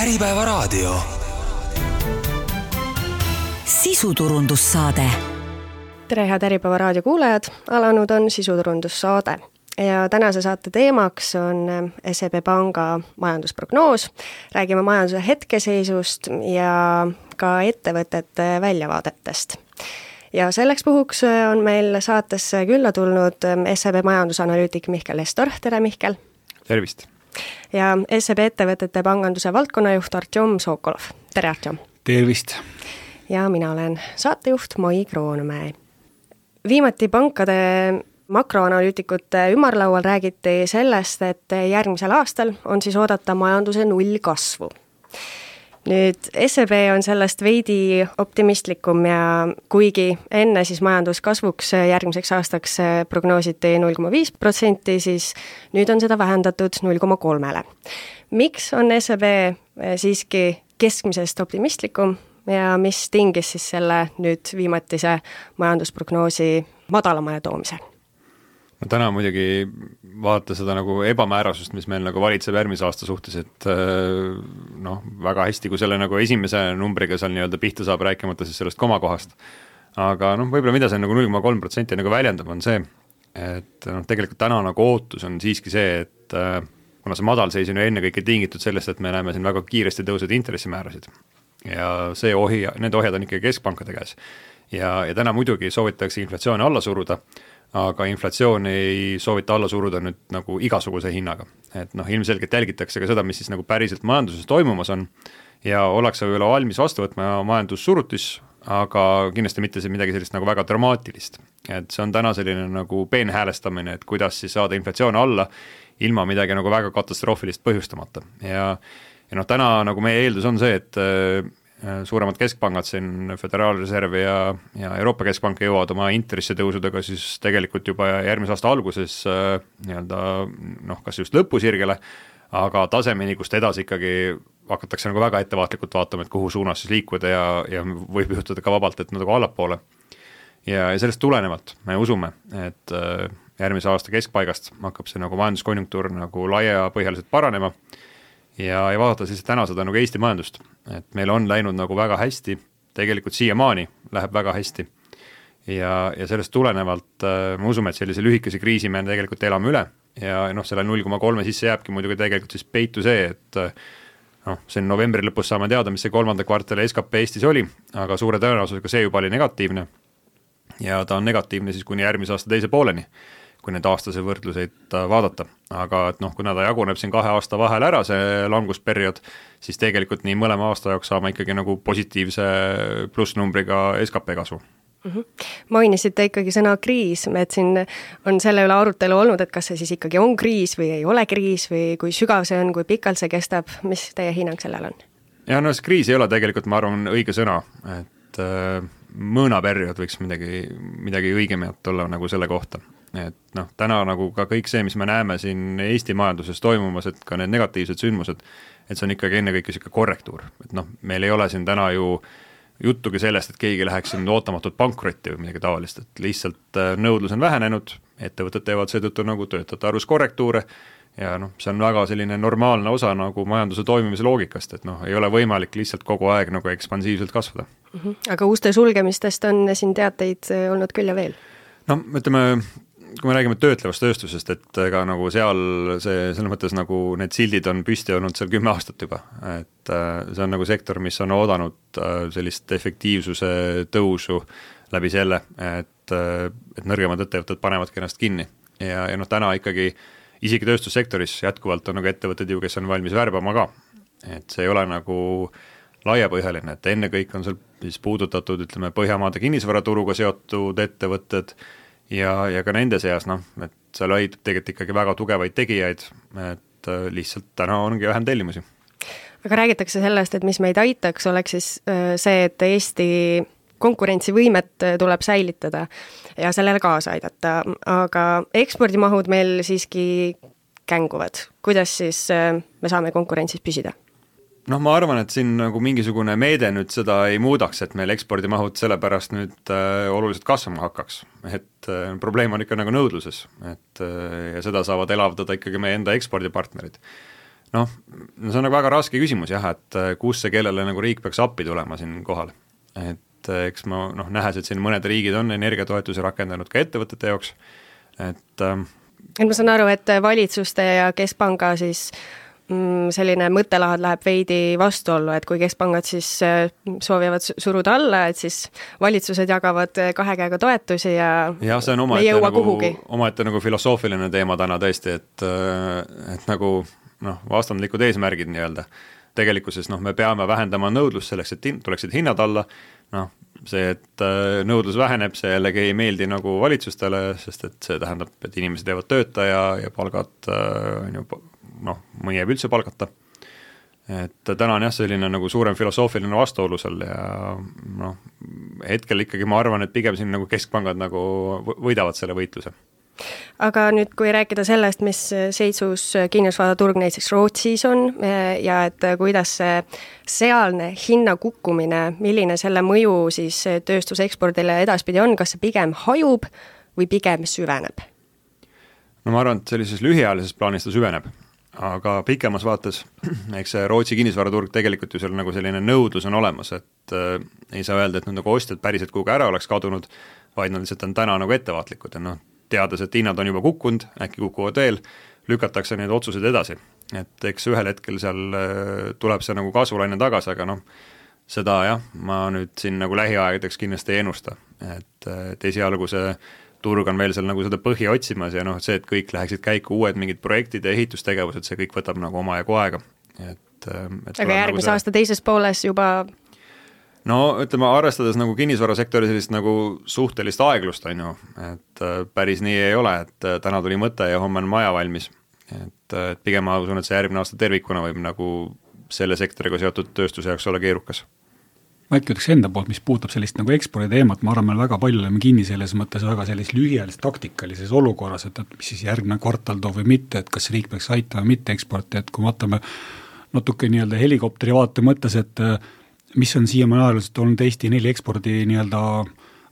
Äripäevaraadio. Sisuturundussaade. Tere, head Äripäevaraadio kuulajad, alanud on sisuturundussaade ja tänase saate teemaks on SEB Panga majandusprognoos. Räägime majanduse hetkeseisust ja ka ettevõtete väljavaadetest. Ja selleks puhuks on meil saatesse külla tulnud SEB majandusanalüütik Mihkel Estor. Tere, Mihkel! Tervist! Ja SEB ettevõtete panganduse valdkonnajuht Artjom Sokolov. Tere, Artjom! Tervist! Ja mina olen saatejuht Mai Kroonmäe. Viimati pankade makroanalüütikute ümarlaual räägiti sellest, et järgmisel aastal on siis oodata majanduse nullkasvu. Nüüd SEB on sellest veidi optimistlikum ja kuigi enne siis majanduskasvuks järgmiseks aastaks prognoositi 0,5%, siis nüüd on seda vähendatud 0,3%. Miks on SEB siiski keskmisest optimistlikum ja mis tingis siis selle nüüd viimatise majandusprognoosi madalamale toomise? No täna muidugi vaadata seda nagu ebamäärasust, mis meil nagu valitseb järgmise aasta suhtes, et väga hästi, kui selle nagu esimese numbriga seal nii-öelda pihta saab, rääkimata siis sellest komakohast. Aga võib-olla mida see nagu 0,3% nagu väljendab, on see, et tegelikult täna nagu ootus on siiski see, et kuna see madalseis on ju ennekõike tingitud sellest, et me näeme siin väga kiiresti tõusud intressimäärasid ja need ohjad on ikkagi keskpankade käes. Ja täna muidugi soovitakse inflatsiooni alla suruda, aga inflatsioon ei soovita alla suruda nüüd nagu igasuguse hinnaga. Et ilmselgelt jälgitakse ka seda, mis siis nagu päriselt majanduses toimumas on ja ollakse võib-olla valmis vastu võtma majandussurutis, aga kindlasti mitte midagi sellist nagu väga dramaatilist. Et see on täna selline nagu peenhäälestamine, et kuidas siis saada inflatsioon alla ilma midagi nagu väga katastroofilist põhjustamata. Ja täna nagu meie eeldus on see, et suuremad keskpangad siin Föderaalreserv ja Euroopa Keskpank jõuavad oma intressitõusudega siis tegelikult juba järgmise aasta alguses kas just lõpusirgele, aga tasemeni, kust edasi ikkagi hakatakse nagu väga ettevaatlikult vaatama, et kuhu suunas siis liikuda ja võib juhtuda ka vabalt, et nagu allapoole. Ja sellest tulenevalt me usume, et järgmise aasta keskpaigast hakkab see nagu majanduskonjunktuur nagu laiapõhjaliselt paranema ja vaadata siis täna seda nagu Eesti majandust, et meil on läinud nagu väga hästi, tegelikult siiamaani läheb väga hästi ja sellest tulenevalt me usume, et sellise lühikese kriisi me tegelikult elame üle ja selle 0,3 sisse jääbki muidugi tegelikult siis peitu see, et see novembri lõpus saame teada, mis see kolmanda kvartali SKP Eestis oli, aga suure tõenäosusega see juba oli negatiivne ja ta on negatiivne siis kuni järgmise aasta teise pooleni, kui need aastase võrdluseid vaadata. Aga kuna ta jaguneb siin 2 aasta vahel ära, see langusperiood, siis tegelikult nii mõlema aasta jaoks saame ikkagi nagu positiivse plussnumbriga SKP kasvu. Mainisite ikkagi sõna kriis, et siin on selle üle arutelu olnud, et kas see siis ikkagi on kriis või ei ole kriis või kui sügav see on, kui pikalt see kestab, mis teie hinnang sellel on? Ja see kriis ei ole tegelikult, ma arvan, õige sõna, et mõõnaperiood võiks midagi õigemat olla nagu selle kohta. Et täna nagu ka kõik see, mis me näeme siin Eesti majanduses toimumas, et ka need negatiivsed sündmused, et see on ikkagi ennekõike siuke korrektuur. Et meil ei ole siin täna ju juttugi sellest, et keegi läheks siin ootamatult pankrotti või midagi tavalist, et lihtsalt nõudlus on vähenenud, ettevõtted teevad seetõttu nagu töötajate arvus korrektuure ja see on väga selline normaalne osa nagu majanduse toimimise loogikast, et ei ole võimalik lihtsalt kogu aeg nagu ekspansiivselt kasvada. Aga uste sulgemistest on siin teateid olnud küll ja veel? Kui me räägime töötlevast tööstusest, et ega nagu seal selles mõttes nagu need sildid on püsti olnud seal 10 aastat juba, et see on nagu sektor, mis on oodanud sellist efektiivsuse tõusu läbi selle, et nõrgemad ettevõtted panevadki ennast kinni ja täna ikkagi isegi tööstussektoris jätkuvalt on nagu ettevõtted ju, kes on valmis värbama ka, et see ei ole nagu laiapõhjaline, et enne kõik on seal siis puudutatud, Põhjamaade kinnisvaraturuga seotud ettevõtted ja ka nende seas, et seal leidub tegelikult ikkagi väga tugevaid tegijaid, et lihtsalt täna ongi vähem tellimusi. Aga räägitakse sellest, et mis meid aitaks, oleks siis see, et Eesti konkurentsivõimet tuleb säilitada ja sellele kaasa aidata, aga ekspordimahud meil siiski känguvad. Kuidas siis me saame konkurentsis püsida? Ma arvan, et siin nagu mingisugune meede nüüd seda ei muudaks, et meil ekspordimahud sellepärast nüüd oluliselt kasvama hakkaks. Et probleem on ikka nagu nõudluses, et ja seda saavad elavdada ikkagi meie enda ekspordipartnerid. Noh, see on nagu väga raske küsimus jah, et kus see kellele nagu riik peaks appi tulema siin kohal. Et eks ma nähes, et siin mõned riigid on energiatoetusi rakendanud ka ettevõtete jaoks, et ma saan aru, et valitsuste ja keskpanga siis selline mõttelahad läheb veidi vastuollu, et kui keskpangad siis soovivad suruda alla, et siis valitsused jagavad 2 käega toetusi ja see on omaette nagu filosoofiline teema täna tõesti, et nagu vastandlikud eesmärgid nii-öelda. Tegelikkuses me peame vähendama nõudlust selleks, et tuleksid hinnad alla, see, et nõudlus väheneb, see jällegi ei meeldi nagu valitsustele, sest et see tähendab, et inimesed jäävad tööta ja palgad mõni jääb üldse palgata. Et täna on jah selline nagu suurem filosoofiline vastuolu seal ja hetkel ikkagi ma arvan, et pigem siin nagu keskpangad nagu võidavad selle võitluse. Aga nüüd, kui rääkida sellest, mis seisus kinnisvaraturg näiteks Rootsis on ja et kuidas see sealne hinna kukkumine, milline selle mõju siis tööstusekspordile edaspidi on, kas see pigem hajub või pigem süveneb? Ma arvan, et sellises lühiajalises plaanis ta süveneb, aga pikemas vaates, eks see Rootsi kinnisvaraturg tegelikult ju seal nagu selline nõudlus on olemas, et ei saa öelda, et nagu ostjad päriselt kuhugi ära oleks kadunud, vaid nad lihtsalt on täna nagu ettevaatlikud ja teades, et hinnad on juba kukkunud, äkki kukuvad veel, lükatakse neid otsuseid edasi. Et eks ühel hetkel seal tuleb see nagu kasvulaine tagasi, aga seda jah, ma nüüd siin nagu lähiaegadeks kindlasti ei ennusta. Et esialgu see turg on veel seal nagu seda põhja otsimas ja see, et kõik läheksid käiku uued mingid projektid ja ehitustegevused, see kõik võtab nagu omajagu aega. Aga järgmise aasta teises pooles juba ütleme, arvestades nagu kinnisvarasektori sellist nagu suhtelist aeglust, on ju, et päris nii ei ole, et täna tuli mõte ja homme on maja valmis. Et pigem ma usun, et see järgmine aasta tervikuna võib nagu selle sektoriga seotud tööstuse jaoks olla keerukas. Ma äkki ütleks enda poolt, mis puutab sellist nagu ekspordi teemat, ma arvan, meil väga palju oleme kinni selles mõttes väga sellis lühiajalises taktikalises olukorras, et mis siis järgmine kvartal toob või mitte, et kas riik peaks aitama või mitte eksporti, et kui vaatame natuke nii-öelda helikopteri vaate mõttes, et mis on siiamaani ajaliselt olnud Eesti 4 ekspordi nii-öelda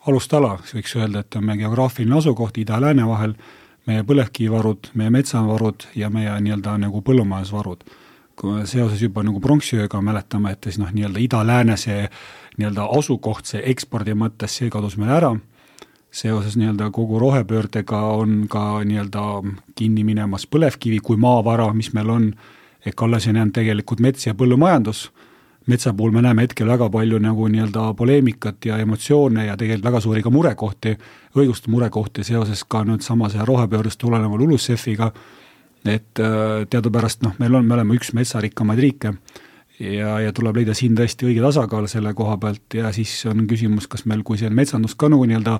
alustala, siis võiks öelda, et on meie geograafiline asukoht ida ja lääne vahel, meie põlevkivivarud, meie metsavarud ja meie nii-öelda nagu põllumajandusvarud. Kui seoses juba nagu pronksiööga mäletame, et siis nii-öelda ida-lääne see nii-öelda asukoht, see ekspordi mõttes, see kadus meil ära. Seoses nii-öelda kogu rohepöördega on ka nii-öelda kinni minemas põlevkivi kui maavara, mis meil on, alles on jäänud tegelikult mets ja põllumajandus. Metsa puhul me näeme hetkel väga palju nagu nii-öelda poleemikat ja emotsioone ja tegelikult väga suuri ka murekohti, õiguste murekohti seoses ka nüüd samas rohepöördest tuleneva LULUCF-iga, et teadupärast me oleme üks metsarikkamaid riike ja tuleb leida siin tõesti õige tasakaal selle koha pealt ja siis on küsimus, kas meil, kui see metsandus ka nii-öelda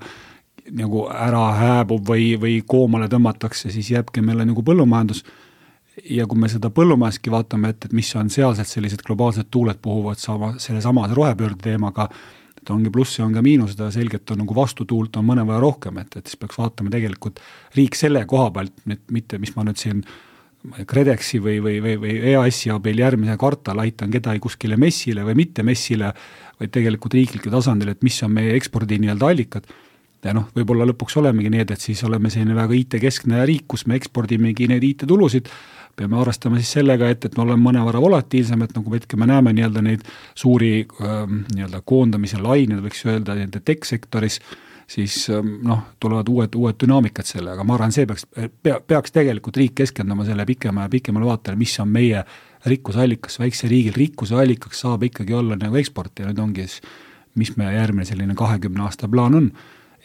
nagu ära hääbub või koomale tõmmatakse, siis jääbki meile nagu põllumajandus ja kui me seda põllumajaski vaatame, et mis on sealsed sellised globaalsed tuuled puhuvad selle samas rohepöörde teemaga, et ongi pluss ja on ka miinus, seda selgelt on nagu vastutuult on mõne vaja rohkem, et siis peaks vaatama tegelikult riik selle koha pealt, mitte mis ma nüüd siin Kredexi või EAS-i abil järgmise kvartal aitan kedagi kuskile messile või mitte messile, vaid tegelikult riikliku tasandil, et mis on meie ekspordi nii-öelda allikad. Ja võib-olla lõpuks olemegi need, et siis oleme selline väga IT-keskne riik, kus me ekspordimegi neid IT-tulusid, peame arvestama siis sellega, et me oleme mõnevara volatiilsem, et nagu hetke me näeme nii-öelda neid suuri nii-öelda koondamise lained, võiks öelda nende tech-sektoris, siis tulevad uued dünaamikad selle, aga ma arvan, see peaks tegelikult riik keskendama selle pikemale vaatele, mis on meie rikkusallikas, väikse riigil rikkuse allikaks saab ikkagi olla nagu eksport ja nüüd ongi siis, mis meie järgmine selline 20 aasta plaan on,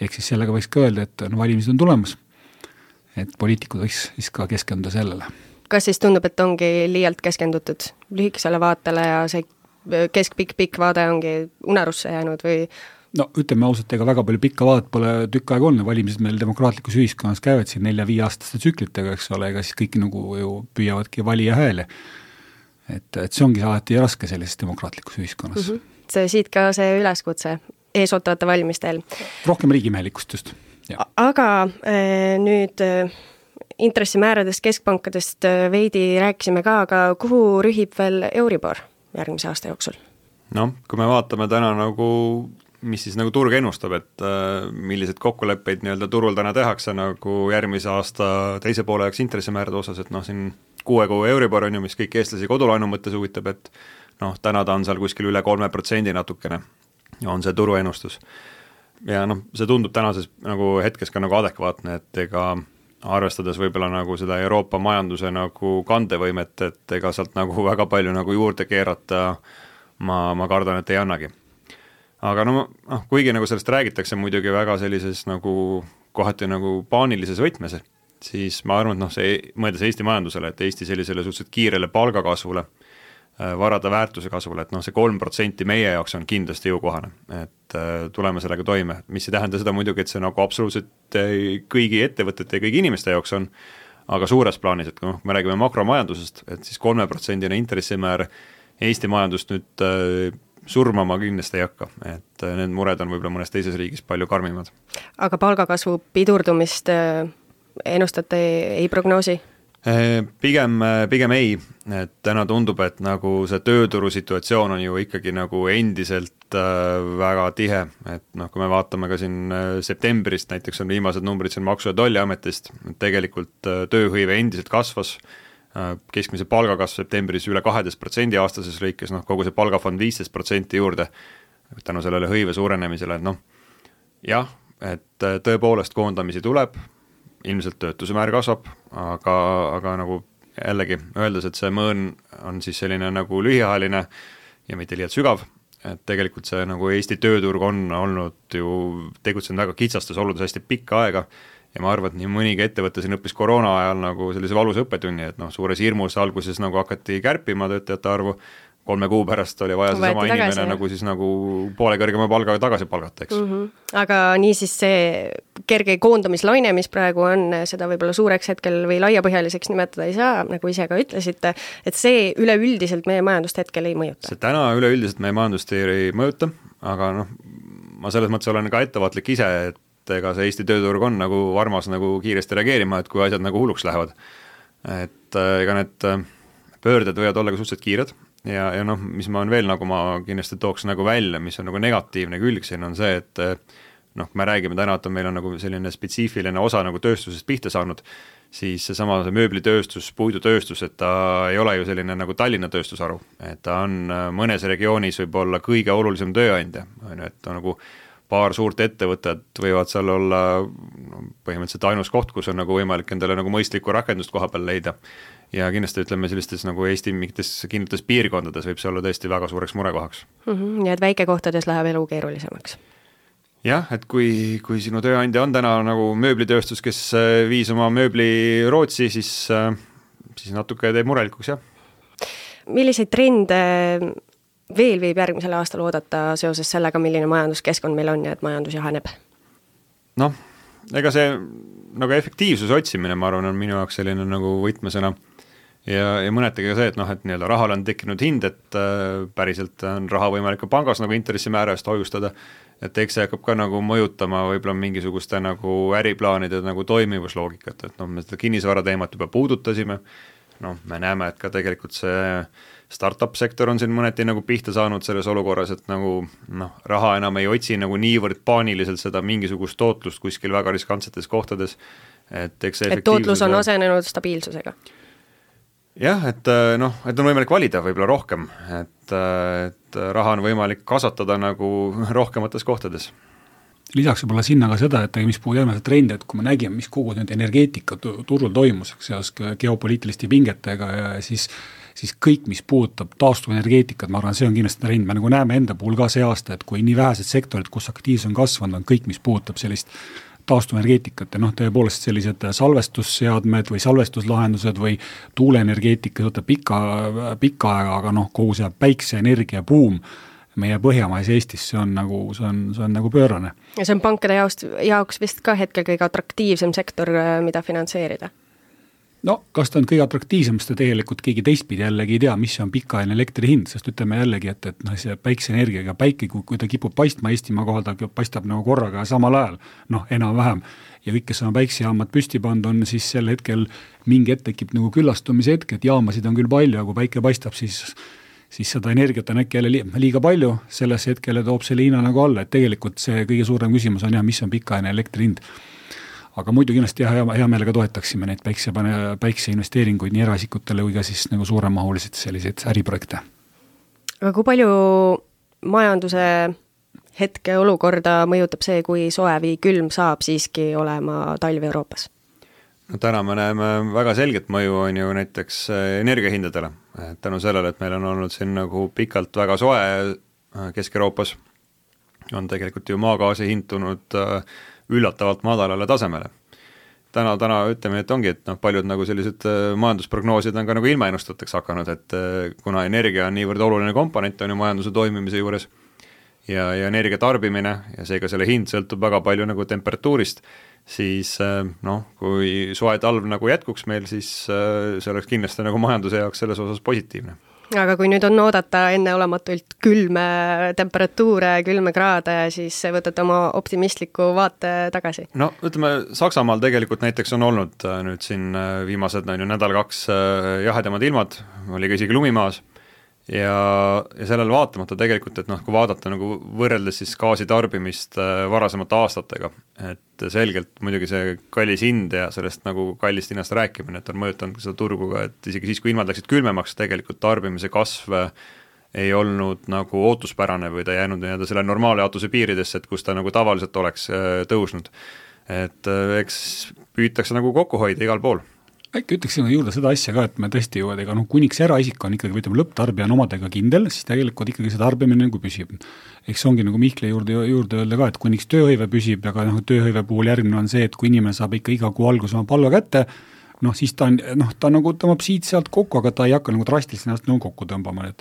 ehk siis sellega võiks ka öelda, et valimised on tulemas, et poliitikud võiks siis ka keskenduda sellele. Kas siis tundub, et ongi liialt keskendutud lühikesele vaatele ja see keskpikk vaade ongi unarusse jäänud või? Ütleme ausalt, ega väga palju pikka vaadet pole tükk aega olnud, valimised meil demokraatlikus ühiskonnas käivad siin 4-5 aastaste tsüklitega, eks ole, ega siis kõik nagu ju püüavadki valija hääle. Et see ongi alati raske sellises demokraatlikus ühiskonnas. See siit ka see üleskutse eesootavate valimistel. Rohkem riigimehelikkust just. Ja. Aga nüüd intressimääradest, keskpankadest veidi rääkisime ka, aga kuhu rühib veel Euribor järgmise aasta jooksul? Kui me vaatame täna nagu, mis siis nagu turg ennustab, et millised kokkuleppeid nii-öelda turul täna tehakse nagu järgmise aasta teise poole jaoks intressimäärade osas, et siin 6 kuu Euribor on ju, mis kõik eestlasi kodulaenu mõttes huvitab, et noh, täna ta on seal kuskil üle 3% natukene, on see turuennustus. Ja noh, see tundub tänases nagu hetkes ka nagu adekvaatne, et ega arvestades võib-olla nagu seda Euroopa majanduse nagu kandevõimet, et ega sealt nagu väga palju nagu juurde keerata ma kardan, et ei annagi. Aga kuigi nagu sellest räägitakse muidugi väga sellises nagu kohati nagu paanilises võtmes, siis ma arvan, et see mõeldes Eesti majandusele, et Eesti sellisele suhteliselt kiirele palgakasvule, varade väärtuse kasvule, et see 3% meie jaoks on kindlasti jõukohane, et tuleme sellega toime, mis ei tähenda seda muidugi, et see nagu absoluutselt kõigi ettevõtete ja kõigi inimeste jaoks on, aga suures plaanis, et kui me räägime makromajandusest, et siis 3% intressimäär Eesti majandust nüüd surmama kindlasti ei hakka, et need mured on võib-olla mõnes teises riigis palju karmimad. Aga palgakasvu pidurdumist ennustate ei prognoosi? Pigem ei, et täna tundub, et nagu see tööturu situatsioon on ju ikkagi nagu endiselt väga tihe, et kui me vaatame ka siin septembrist, näiteks on viimased numbrid siin Maksu- ja Tolliametist, tegelikult tööhõive endiselt kasvas, keskmise palgakasv septembris üle 12% aastases lõikes, kogu see palgafond 15% juurde, tänu sellele hõive suurenemisele, et jah, et tõepoolest koondamisi tuleb, ilmselt töötuse määr kasvab, aga nagu jällegi öeldes, et see mõõn on siis selline nagu lühiajaline ja mitte liialt sügav, et tegelikult see nagu Eesti tööturg on olnud ju tegutsenud väga kitsastes oludes hästi pikka aega ja ma arvan, et nii mõnigi ettevõte siin õppis koroona ajal nagu sellise valusa õppetunni, et suures hirmus alguses nagu hakati kärpima töötajate arvu, 3 kuu pärast oli vaja see sama inimene nagu siis nagu poole kõrgema palgaga tagasi palgata, eks. Aga niisiis see kerge koondamislaine, mis praegu on, seda võib-olla suureks hetkel või laiapõhjaliseks nimetada ei saa, nagu ise ka ütlesite, et see üleüldiselt meie majandust hetkel ei mõjuta. See täna üleüldiselt meie majandust ei mõjuta, aga ma selles mõttes olen ka ettevaatlik ise, et ega see Eesti tööturg on nagu varmas nagu kiiresti reageerima, et kui asjad nagu hulluks lähevad. Et ega need pöörded võivad olla ka suhteliselt kiired ja mis ma on veel nagu ma kindlasti tooks nagu välja, mis on nagu negatiivne külg siin on see, et kui me räägime täna, et meil on nagu selline spetsiifiline osa nagu tööstusest pihta saanud, siis seesama see mööblitööstus, puidutööstus, et ta ei ole ju selline nagu Tallinna tööstusharu, et ta on mõnes regioonis võib olla kõige olulisem tööandja, et nagu paar suurt ettevõtet võivad seal olla põhimõtteliselt ainus koht, kus on nagu võimalik endale nagu mõistlikku rakendust koha peal leida. Ja kindlasti ütleme sellistes nagu Eesti mingites kindlates piirkondades võib see olla tõesti väga suureks murekohaks. Nii et väikekohtades läheb elu keerulisemaks. Jah, et kui sinu tööandja on täna nagu mööblitööstus, kes viis oma mööbli Rootsi, siis natuke teeb murelikuks, jah. Milliseid trende veel võib järgmisel aastal oodata seoses sellega, milline majanduskeskkond meil on ja et majandus jahaneb? Ega see nagu efektiivsuse otsimine, ma arvan, on minu jaoks selline nagu võtmesõna ja mõnetagi ka see, et et nii-öelda rahal on tekkinud hind, et päriselt on raha võimalik ka pangas nagu intressimäära eest hoiustada, et eks see hakkab ka nagu mõjutama võib-olla mingisuguste nagu äriplaanide nagu toimivusloogikat, et me seda kinnisvara teemat juba puudutasime, me näeme, et ka tegelikult see startup sektor on siin mõneti nagu pihta saanud selles olukorras, et nagu raha enam ei otsi nagu niivõrd paaniliselt seda mingisugust tootlust kuskil väga riskantsetes kohtades, et eks see tootlus on asenenud stabiilsusega. Jah, et on võimalik valida võib-olla rohkem, et raha on võimalik kasvatada nagu rohkemates kohtades. Lisaks võib olla sinna ka seda, et mis puhul järgmine trend, et kui me nägime, mis kogu nüüd energeetika turul toimus, seos geopoliitiliste pingetega ja siis kõik, mis puudutab taastuvenergeetikat, ma arvan, see on kindlasti trend, me nagu näeme enda puhul ka see aasta, et kui nii vähesed sektorid, kus aktiivsus on kasvanud, on kõik, mis puudutab sellist taastuvenergeetikat ja tõepoolest sellised salvestusseadmed või salvestuslahendused või tuuleenergeetika pikka aega, aga kogu see päikseenergia buum meie Põhjamais Eestis, see on nagu pöörane. Ja see on pankade jaoks vist ka hetkel kõige atraktiivsem sektor, mida finantseerida? Kas ta on kõige atraktiivsem, sest tegelikult keegi teistpidi jällegi ei tea, mis on pikaajaline elektri hind, sest ütleme jällegi, et see päikseenergiaga päike, kui ta kipub paistma Eestimaa kohal, ta paistab nagu korraga samal ajal, enam-vähem, ja kõik, kes on päiksejaamad püsti pannud, on siis sel hetkel mingi hetk tekib nagu küllastumise hetk, et jaamasid on küll palju, aga kui päike paistab, siis seda energiat on äkki jälle liiga palju, selles hetkele toob selle hinna nagu alla, et tegelikult see kõige suurem küsimus on mis on pikaajaline elektri hind. aga muidu kindlasti hea meelega toetaksime neid päikseinvesteeringuid nii eraisikutele kui ka siis nagu suuremahulised selliseid äriprojekte. Aga kui palju majanduse hetke olukorda mõjutab see, kui soe või külm saab siiski olema talv Euroopas? No täna me näeme väga selget mõju on ju näiteks energiahindadele. Tänu sellele, et meil on olnud siin nagu pikalt väga soe Kesk-Euroopas, on tegelikult ju maagaasi hind tulnud üllatavalt madalale tasemele. Täna ütleme, et ongi, et paljud nagu sellised majandusprognoosid on ka nagu ilmaennustateks hakanud, et kuna energia on niivõrd oluline komponent on ju majanduse toimimise juures ja energia tarbimine ja seega selle hind sõltub väga palju nagu temperatuurist, siis kui soe talv nagu jätkuks meil, siis see oleks kindlasti nagu majanduse jaoks selles osas positiivne. Aga kui nüüd on oodata enneolematult külme temperatuure, külme kraade, siis võtate oma optimistliku vaate tagasi? No ütleme, Saksamaal tegelikult näiteks on olnud nüüd siin viimased nädal-kaks jahedamad ilmad, oli ka isegi lumimaas ja sellele vaatamata tegelikult, et kui vaadata nagu võrreldes siis gaasi tarbimist varasemate aastatega, et selgelt muidugi see kallis hind ja sellest nagu kallist hinnast rääkimine, et on mõjutanud seda turgu ka, et isegi siis, kui ilmad läksid külmemaks, tegelikult tarbimise kasv ei olnud nagu ootuspärane või ta jäänud selle normaalne jaotuse piiridesse, et kus ta nagu tavaliselt oleks tõusnud. Et eks püütakse nagu kokku hoida igal pool. Äkki ütleksin juurde seda asja ka, et me tõesti ju, ega kuniks eraisik on ikkagi, ütleme, lõpptarbija on omadega kindel, siis tegelikult ikkagi see tarbimine nagu püsib. Eks ongi nagu Mihkli juurde öelda ka, et kuniks tööhõive püsib, aga tööhõive puhul järgmine on see, et kui inimene saab ikka iga kuu algus oma palga kätte, siis ta nagu tõmbab siit sealt kokku, aga ta ei hakka nagu drastiliselt ennast nagu kokku tõmbama,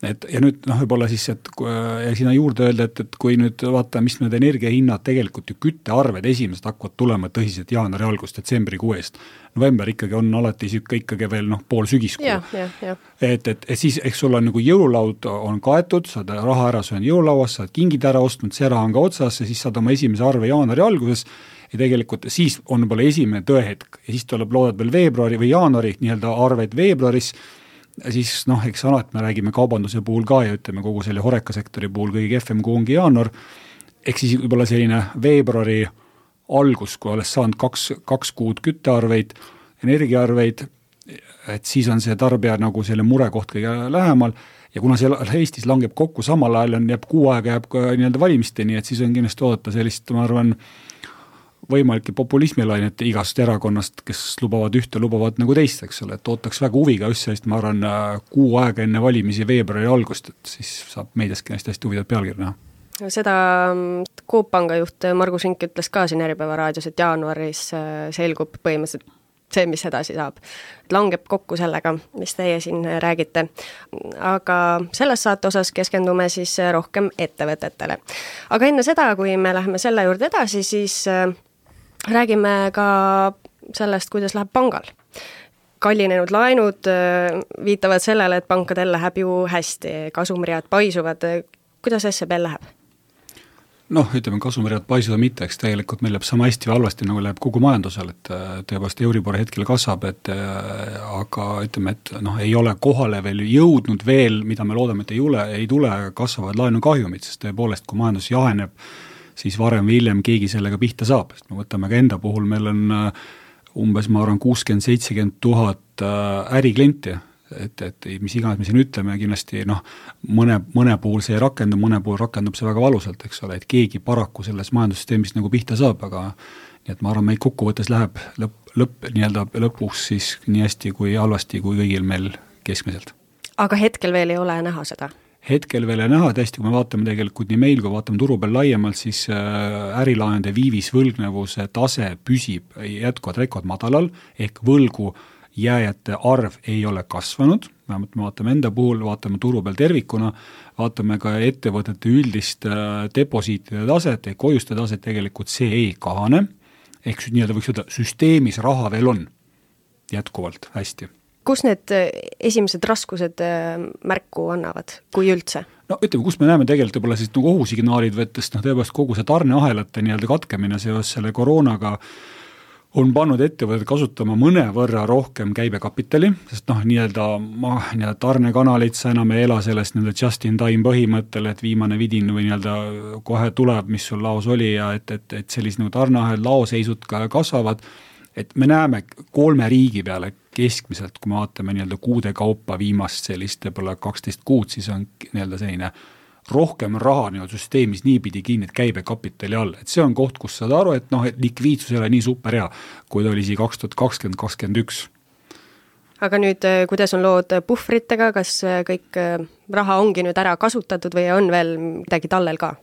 ja nüüd võib-olla siis, et ja sinna juurde öelda, et kui nüüd vaata, mis need energiahinnad tegelikult ju küttearved esimesed hakkavad tulema tõsiselt jaanuari algust, detsembri 6. November ikkagi on alati ikkagi veel pool sügiskuu. Et siis, eks sul on nagu jõululaud on kaetud, saad raha ära söönud jõulauas, saad kingid ära ostnud, see raha on ka otsas ja siis saad oma esimese arve jaanuari alguses ja tegelikult siis on võib-olla esimene tõehetk ja siis tuleb loodad veel veebruari või jaanuari arveid veebruaris. Siis eks alati me räägime kaubanduse puhul ka ja ütleme kogu selle horekasektori puhul kõige kehvem kui ongi jaanuar. Eks siis võib-olla selline veebruari algus, kui olles saanud kaks kuud küttearveid, energiaarveid, et siis on see tarbija nagu selle murekoht kõige lähemal ja kuna see Eestis langeb kokku samal ajal jääb kuu aega jääb ka valimisteni, et siis on kindlasti oodata sellist, ma arvan, võimalike populismilainete igast erakonnast, kes lubavad ühte, lubavad nagu teist, eks ole, et ootaks väga huviga just sellist, ma arvan, kuu aega enne valimisi veebruari algust, et siis saab meediaski hästi huvidat pealkirja näha. Seda Coop Panga juht Margus Rink ütles ka siin Äripäeva raadios, et jaanuaris selgub põhimõtteliselt see, mis edasi saab. Langeb kokku sellega, mis teie siin räägite. Aga selles saate osas keskendume siis rohkem ettevõtetele. Aga enne seda, kui me läheme selle juurde edasi, siis räägime ka sellest, kuidas läheb pangal. Kallinenud laenud viitavad sellele, et pankadel läheb ju hästi, kasumriad paisuvad. Kuidas SEB-l läheb? Ütleme, kasumriad paisuda mitte, eks tegelikult meil läheb sama hästi või halvasti, nagu läheb kogu majandusel, et tõepoolest Euribor hetkel kasvab, aga ütleme, et ei ole kohale veel jõudnud veel, mida me loodame, et ei tule, kasvavad laenukahjumid, sest tõepoolest, kui majandus jaheneb, siis varem või hiljem keegi sellega pihta saab, sest me võtame ka enda puhul, meil on umbes, ma arvan, 60-70 000 äriklienti, et mis iganes me siin ütleme, kindlasti mõne puhul see rakendub, mõne puhul rakendub see väga valusalt, eks ole, et keegi paraku selles majandussüsteemist nagu pihta saab, aga nii et ma arvan, meid kokkuvõttes läheb lõpuks siis nii hästi kui halvasti kui kõigil meil keskmiselt. Aga hetkel veel ei ole näha seda? Hetkel veel ei näha, tõesti, kui me vaatame tegelikult nii meil, kui vaatame turu peal laiemalt, siis ärilaenude viivisvõlgnevuse tase püsib jätkuvalt rekordmadalal ehk võlgu jääjate arv ei ole kasvanud, vähemalt me vaatame enda puhul, vaatame turu peal tervikuna, vaatame ka ettevõtete üldist deposiitide taset, hoiuste taset, tegelikult see ei kahane, ehk võiks öelda, süsteemis raha veel on jätkuvalt hästi. Kus need esimesed raskused märku annavad, kui üldse? Ütleme, kus me näeme tegelikult võib-olla siis nagu ohusignaalid võttes, tõepoolest kogu see tarneahelate katkemine seos selle koroonaga on pannud ettevõtted kasutama mõnevõrra rohkem käibekapitali, sest nii-öelda tarnekanalid sa enam ei ela sellest nii-öelda just in time põhimõttel, et viimane vidin või nii-öelda kohe tuleb, mis sul laos oli ja et sellise nagu tarneahel laoseisud ka kasvavad, et me näeme 3 riigi peale keskmiselt, kui me vaatame nii-öelda kuude kaupa viimast sellist võib-olla 12 kuud, siis on nii-öelda selline rohkem raha nii-öelda süsteemis niipidi kinni, et käibekapitali all, et see on koht, kus saad aru, et et likviidsus ei ole nii super hea, kui ta oli 2020-2021. Aga nüüd, kuidas on lood puhvritega, kas kõik raha ongi nüüd ära kasutatud või on veel midagi tallel ka?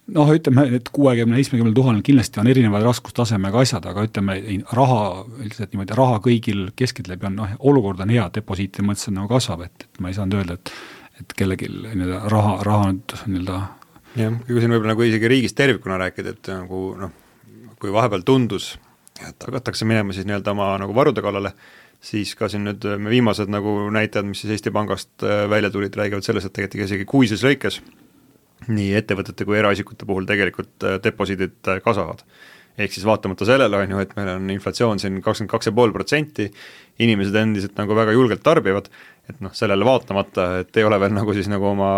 Ütleme, et 60-70 000 kindlasti on erinevad raskustasemega asjad, aga ütleme, raha kõigil keskeltläbi on, olukord on hea, deposiiti mõttes nagu kasvab, et ma ei saanud öelda, et kellelgi raha nüüd nii-öelda. Jah, kui siin võib-olla nagu isegi riigist tervikuna rääkida, et nagu kui vahepeal tundus, et hakatakse minema siis nii-öelda oma nagu varude kallale, siis ka siin nüüd me viimased nagu näitajad, mis siis Eesti Pangast välja tulid, räägivad selles, et tegelikult isegi kuises lõikes nii ettevõtete kui eraisikute puhul tegelikult deposiidid kasvavad. Ehk siis vaatamata sellele on ju, et meil on inflatsioon siin 22,5%, inimesed endiselt nagu väga julgelt tarbivad, et sellele vaatamata, et ei ole veel nagu siis nagu oma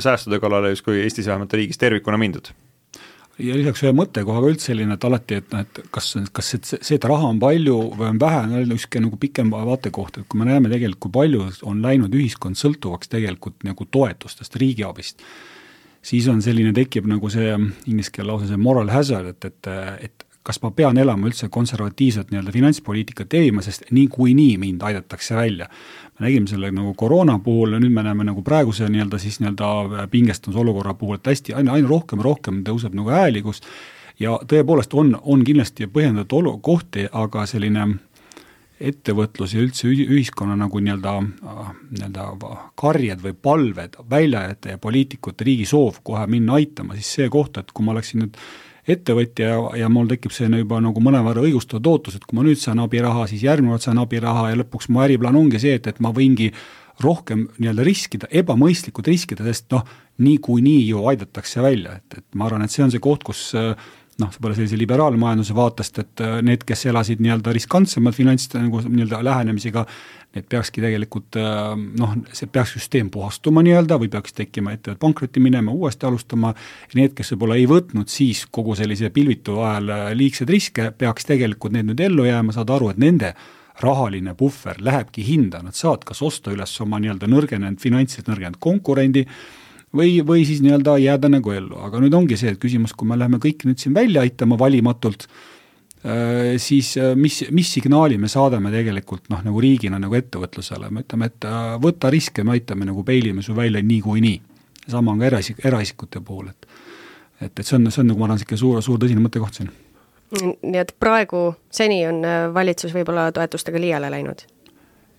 säästude kallale justkui Eestis vähemalt riigis tervikuna mindud. Ja lisaks ühe mõttekohaga üldse selline, et alati, et kas see, et raha on palju või on vähe, on üks nagu pikem vaatekoht, et kui me näeme tegelikult, kui palju on läinud ühiskond sõltuvaks tegelikult nagu toetustest, riigiabist, siis on selline, tekib nagu see inglise keele lause see moral hazard, et kas ma pean elama üldse konservatiivset nii-öelda finantspoliitikat teema, sest nii mind aidatakse välja. Me nägime selle nagu koroona puhul ja nüüd me näeme nagu praeguse nii-öelda pingestumise olukorra puhul, et hästi aina rohkem tõuseb nagu hääligus ja tõepoolest on kindlasti põhjendatud kohti, aga selline ettevõtlus ja üldse ühiskonna nagu nii-öelda karjed või palved väljajate ja poliitikute riigi soov kohe minna aitama, siis see koht, et kui ma oleksin nüüd ettevõtja ja mul tekib see juba nagu mõnevõrra õigustatud ootus, et kui ma nüüd saan abiraha, siis järgmine saan abiraha ja lõpuks mu äriplaan ongi see, et ma võingi rohkem nii-öelda riskida, ebamõistlikud riskida, sest nii ju aidatakse välja, et ma arvan, et see on see koht, kus võib-olla sellise liberaalmajanduse vaatest, et need, kes elasid nii-öelda riskantsemad finantside nagu nii-öelda lähenemisega, need peakski tegelikult, see peaks süsteem puhastuma nii-öelda või peaks tekkima ettevõtte pankrotti minema, uuesti alustama ja need, kes võib-olla ei võtnud siis kogu sellise pilvitu ajal liigseid riske, peaks tegelikult need nüüd ellu jääma, saada aru, et nende rahaline puhver lähebki hinda, nad saavad kas osta üles oma nii-öelda nõrgenenud finantsiliselt nõrgenenud konkurendi või siis nii-öelda jääda nagu ellu, aga nüüd ongi see, et küsimus, kui me läheme kõik nüüd siin välja aitama valimatult, siis mis signaali me saadame tegelikult nagu riigina nagu ettevõtlusele, me ütleme, et võta riske, me aitame nagu peilime su välja nii. Sama on ka eraisikute puhul, et see on nagu ma arvan siuke suur tõsine mõttekoht siin. Nii et praegu seni on valitsus võib-olla toetustega liiale läinud?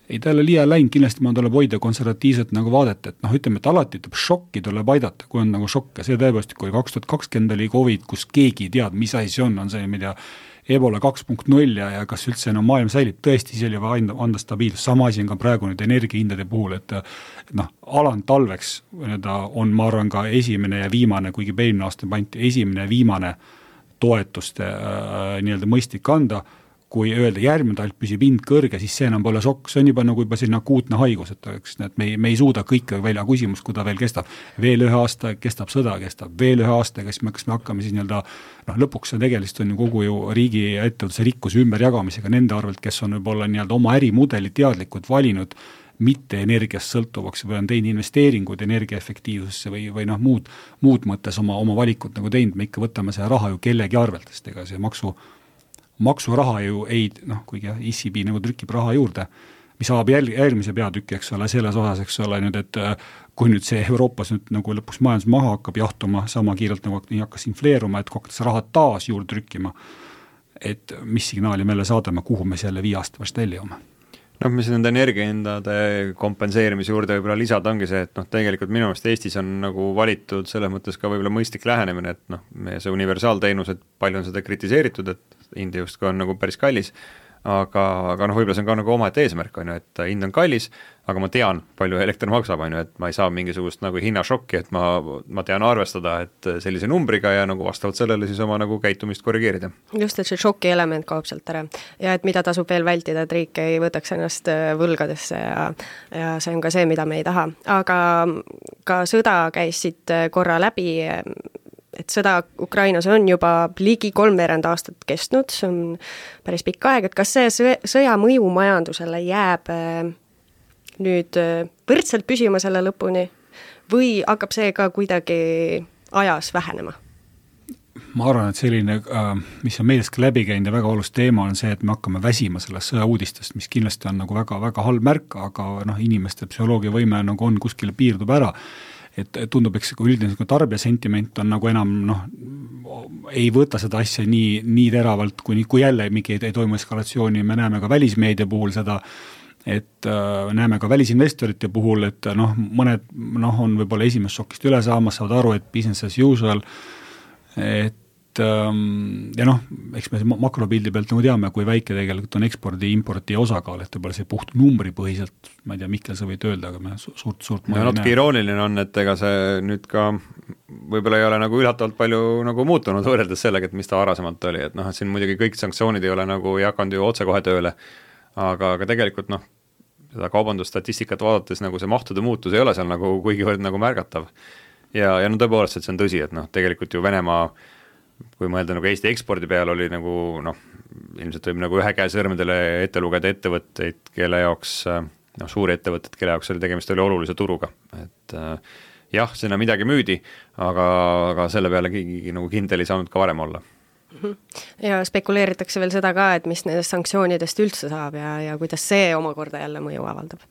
Ei, ta ei ole liiale läinud, kindlasti ma tuleb hoida konservatiivset nagu vaadet, et ütleme, et alati šokki tuleb aidata, kui on nagu šokk ja see tõepoolest, kui 2020 oli COVID, kus keegi tead, mis asi see on see, mida Ebola 2.0 ja kas üldse maailm säilib, tõesti see oli anda stabiilsus, sama asi on ka praegu nüüd energiahindade puhul, et aland talveks on, ma arvan, ka esimene ja viimane, kuigi eelmine aasta pandi esimene ja viimane toetuste nii-öelda mõistlik anda, kui öelda järgmine talv püsib hind kõrge, siis see enam pole šokk, see on juba nagu selline akuutne haigus, et me ei suuda kõike välja küsimus, kui ta veel kestab. Veel 1 aasta kestab sõda, kestab veel 1 aasta, kas me hakkame siis nii-öelda, lõpuks see tegelikult on ju kogu riigi ja ettevõtluse rikkuse ümberjagamisega nende arvelt, kes on võib-olla nii-öelda oma ärimudeli teadlikult valinud mitte energiast sõltuvaks või on teinud investeeringuid energiaefektiivsusse või muud mõttes oma valikut nagu teinud, me ikka võtame see raha ju kellegi arvelt, sest ega see maksuraha ju ei, kuigi ECB nagu trükib raha juurde, mis saab järgmise peatükki, eks ole, selles osas, eks ole, nüüd, et kui nüüd see Euroopas nüüd nagu lõpuks majandus maha hakkab jahtuma sama kiirelt nagu hakkas infleeruma, et kokku raha taas juurde trükkima, et mis signaali meile saadame, kuhu me selle 5 aasta vast välja jõuame. Mis nende energiahindade kompenseerimise juurde võib-olla lisada ongi see, et tegelikult minu meelest Eestis on nagu valitud selles mõttes ka võib-olla mõistlik lähenemine, et meie see universaalteenus, et palju on seda kritiseeritud, et hind justkui on nagu päris kallis, aga noh, võib-olla see on ka nagu omaette eesmärk, on ju, et hind on kallis, aga ma tean, palju elekter maksab, on ju, et ma ei saa mingisugust nagu hinnašokki, et ma tean arvestada, et sellise numbriga ja nagu vastavalt sellele siis oma nagu käitumist korrigeerida. Just, et see šoki element kaob sealt ära ja et mida tasub veel vältida, et riik ei võtaks ennast võlgadesse ja see on ka see, mida me ei taha. Aga ka sõda käis siit korra läbi, et sõda Ukrainas on juba ligi 3 aastat kestnud, see on päris pikk aeg, et kas see sõja mõju majandusele jääb nüüd võrdselt püsima selle lõpuni või hakkab see ka kuidagi ajas vähenema? Ma arvan, et selline, mis on meelest ka läbi käinud ja väga olulist teema on see, et me hakkame väsima sellest sõjauudistest, mis kindlasti on nagu väga halb märk, aga noh, inimeste psühholoogia võime nagu on kuskile piirdub ära. Et tundub, eks üldine tarbija sentiment on nagu enam ei võta seda asja nii teravalt, kui jälle mingi ei toimu eskalatsiooni, me näeme ka välismeedia puhul seda, et näeme ka välisinvestorite puhul, et mõned on võib-olla esimest šokist üle saamas, saavad aru, et business as usual, et ja eks me makropildi pealt nagu teame, kui väike tegelikult on ekspordi-importi osakaal, et võib-olla see puht numbripõhiselt, ma ei tea, Mihkel, sa võid öelda, aga me suurt ja natuke irooniline on, et ega see nüüd ka võib-olla ei ole nagu üllatavalt palju nagu muutunud võrreldes sellega, et mis ta varasemalt oli, et et siin muidugi kõik sanktsioonid ei ole nagu hakanud ju otse kohe tööle, aga tegelikult seda kaubandusstatistikat vaadates nagu see mahtude muutus ei ole seal nagu kuigivõrd nagu märgatav. Ja tõepoolest, et see on tõsi, et tegelikult ju Venemaa, kui mõelda nagu Eesti ekspordi peal oli nagu ilmselt võib nagu ühe käe sõrmedele ette lugeda ettevõtteid, kelle jaoks, suuri ettevõtted, kelle jaoks oli tegemist oli olulise turuga, et jah, sinna midagi müüdi, aga selle peale keegi nagu kindel ei saanud ka varem olla. Ja spekuleeritakse veel seda ka, et mis nendest sanktsioonidest üldse saab ja kuidas see omakorda jälle mõju avaldab.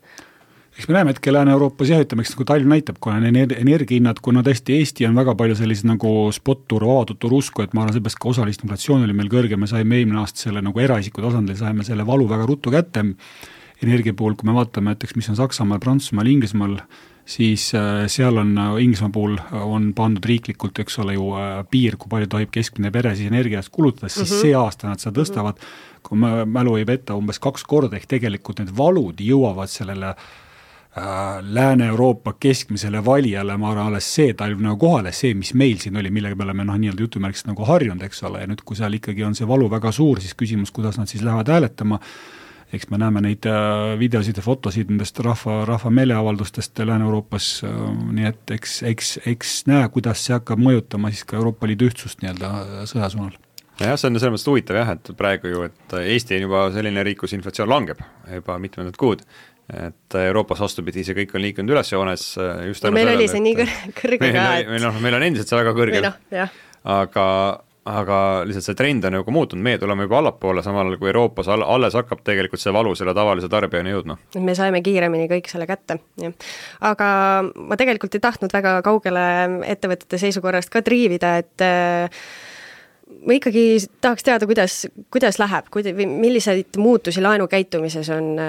Eks me näeme, et Lääne-Euroopas ütleme, eks nagu talv näitab, kuna energiahinnad, kuna tõesti Eesti on väga palju sellise nagu spot-turu, avatud-turu usku, et ma arvan, seepärast ka osalist inflatsioon oli meil kõrge, me saime eelmine aasta selle nagu eraisiku tasandil, saime selle valu väga ruttu kätte energia puhul, kui me vaatame, et mis on Saksamaal, Prantsusmaal, Inglismaal, siis seal on Inglismaa puhul on pandud riiklikult, eks ole ju piir, kui palju tohib keskmine pere siis energiast kulutades, siis see aasta nad seda tõstavad, kui mälu ei peta umbes 2 korda, ehk tegelikult need valud jõuavad sellele Lääne-Euroopa keskmisele valijale, ma arvan, alles see talv nagu kohale, see, mis meil siin oli, millega me oleme nii-öelda jutumärkist nagu harjunud, eks ole, ja nüüd, kui seal ikkagi on see valu väga suur, siis küsimus, kuidas nad siis lähevad hääletama, eks me näeme neid videosid ja fotosid nendest rahva meeleavaldustest Lääne-Euroopas, nii et eks näe, kuidas see hakkab mõjutama siis ka Euroopa Liidu ühtsust nii-öelda sõjasuunal. Jah, see on selles mõttes huvitav jah, et praegu ju, et Eesti on juba selline riik, kus inflatsioon langeb juba mitmendat kuud, et Euroopas vastupidi, see kõik on liikunud üles joones just meil oli see nii kõrge ka, et meil on endiselt see väga kõrge, aga lihtsalt see trend on nagu muutunud, meie tuleme juba allapoole, samal kui Euroopas alles hakkab tegelikult see valu selle tavalise tarbijani jõudma. Me saime kiiremini kõik selle kätte, jah. Aga ma tegelikult ei tahtnud väga kaugele ettevõtete seisukorrast ka triivida, et ma ikkagi tahaks teada, kuidas läheb, milliseid muutusi laenukäitumises on